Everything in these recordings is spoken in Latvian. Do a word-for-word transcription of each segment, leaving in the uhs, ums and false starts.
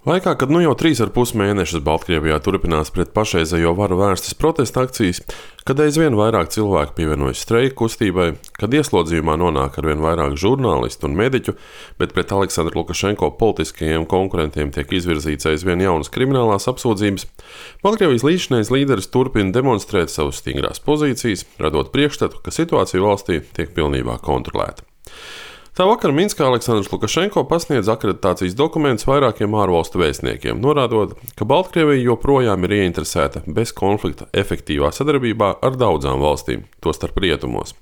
Laikā, kad nu jau trīs ar pus mēnešus Baltkrievijā turpinās pret pašreizējo varu vērstas protesta akcijas, kad aizvien vairāk cilvēku pievienojas streika kustībai, kad ieslodzījumā nonāk arvien vairāk žurnālistu un mediķu, bet pret Aleksandru Lukašenko politiskajiem konkurentiem tiek izvirzīts aizvien jaunas kriminālās apsūdzības, Baltkrievijas līdzinājais līderis turpina demonstrēt savas stingrās pozīcijas, radot priekšstatu, ka situācija valstī tiek pilnībā kontrolēta. Tā vakar Minskā Aleksandrs Lukašenko pasniedz akreditācijas dokumentus vairākiem ārvalstu vēstniekiem, norādot, ka Baltkrievija joprojām ir ieinteresēta bez konflikta efektīvā sadarbībā ar daudzām valstīm, tostarp rietumos.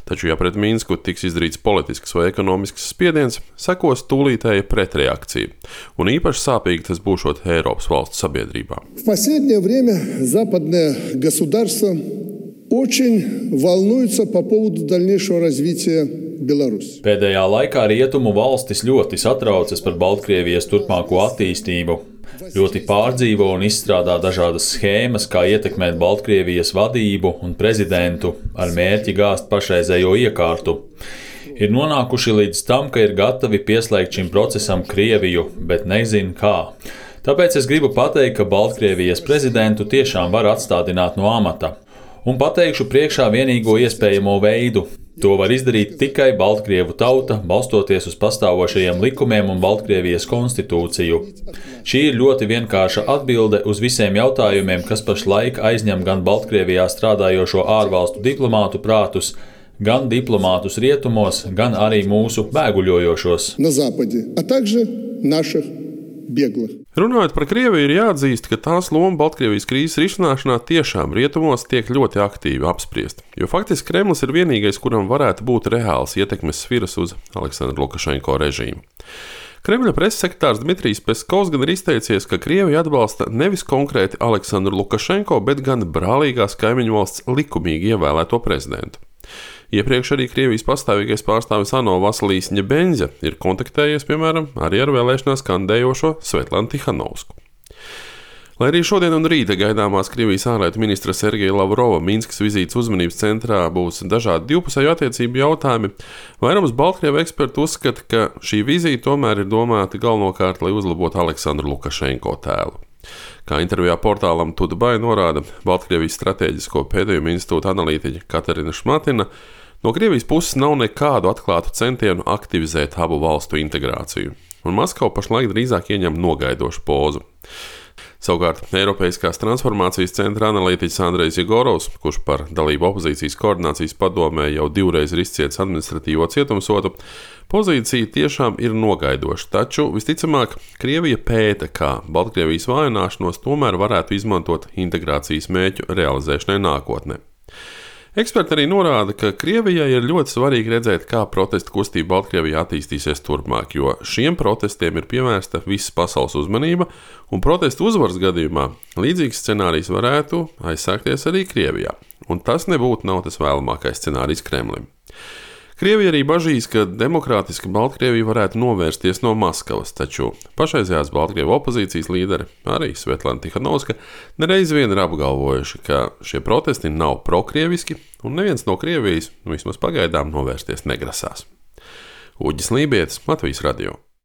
Taču, ja pret Minsku tiks izdarīts politisks vai ekonomisks spiediens, sekos tūlītēja pretreakcija, un īpaši sāpīgi tas būšot Eiropas valstu sabiedrībā. В последнее время западные государства очень волнуются по поводу дальнейшего развития Беларуsi. Pēdējā laikā rietumu valstis ļoti satraucas par Baltkrievijas turpmāko attīstību. Ļoti pārdzīvo un izstrādā dažādas schēmas, kā ietekmēt Baltkrievijas vadību un prezidentu ar mērķi gāzt pašreizējo iekārtu. Ir nonākuši līdz tam, ka ir gatavi pieslēgt šim procesam Krieviju, bet nezin kā. Tāpēc es gribu pateikt, ka Baltkrievijas prezidentu tiešām var atstādināt no amata. Un pateikšu priekšā vienīgo iespējamo veidu. To var izdarīt tikai Baltkrievu tauta, balstoties uz pastāvošajiem likumiem un Baltkrievijas konstitūciju. Šī ir ļoti vienkārša atbilde uz visiem jautājumiem, kas pašlaik aizņem gan Baltkrievijā strādājošo ārvalstu diplomātu prātus, gan diplomātus rietumos, gan arī mūsu bēguļojošos. На Западе, а также наших bēgļu. Runājot par Krieviju, ir jāatzīst, ka tās loma Baltkrievijas krīzes risināšanā tiešām rietumos tiek ļoti aktīvi apspriesta, jo faktiski Kremlis ir vienīgais, kuram varētu būt reāls ietekmes sviras uz Aleksandru Lukašenko režīmu. Kremļa preses sekretārs Dmitrijs Peskovs gan ir izteicies, ka Krievija atbalsta nevis konkrēti Aleksandru Lukašenko, bet gan brālīgās kaimiņu valsts likumīgi ievēlēto prezidentu. Iepriekš arī Krievijas pastāvīgais pārstāvis ANO Vasilijs Ņebenzja ir kontaktējies, piemēram, arī ar vēlēšanās kandidējošo Svetlanu Tihanovsku. Lai arī šodien un rīta gaidāmās Krievijas ārlietu ministra Sergeja Lavrova Minskas vizītes uzmanības centrā būs dažādi divpusēju attiecību jautājumi, vairums Baltkrievu ekspertu uzskata, ka šī vizīte tomēr ir domāta galvenokārt, lai uzlabotu Aleksandru Lukašenko tēlu. Kā intervijā portālam Tudbai norāda Baltkrievijas strateģisko pētījumu institūta analītiķe Katarina Šmatina, no Krievijas puses nav nekādu atklātu centienu aktivizēt abu valstu integrāciju, un Maskava pašlaik drīzāk ieņem nogaidošu pozu. Savukārt, Eiropeiskās transformācijas centra analītiķis Andrejs Jegorovs, kurš par dalību opozīcijas koordinācijas padomē jau divreiz ir izcietis administratīvo cietumsodu, pozīcija tiešām ir nogaidoša, taču visticamāk Krievija pēta, kā Baltkrievijas vājināšanos tomēr varētu izmantot integrācijas mērķu realizēšanai nākotnē. Eksperti arī norāda, ka Krievijai ir ļoti svarīgi redzēt, kā protesta kustība Baltkrievijā attīstīsies turpmāk, jo šiem protestiem ir pievērsta visas pasaules uzmanība, un protestu uzvaras gadījumā līdzīgs scenārijs varētu aizsākties arī Krievijā, un tas nebūtu nav tas vēlamākais scenārijs Kremlim. Krievija arī bažīs, ka demokrātiska Baltkrievija varētu novērsties no Maskavas, taču pašreizējās Baltkrievu opozīcijas līderi, arī Svetlana Tihanovska, nereiz vien ir apgalvojuši, ka šie protesti nav prokrieviski un neviens no Krievijas, vismaz pagaidām, novērsties negrasās. Uģis Lībietis, Latvijas radio.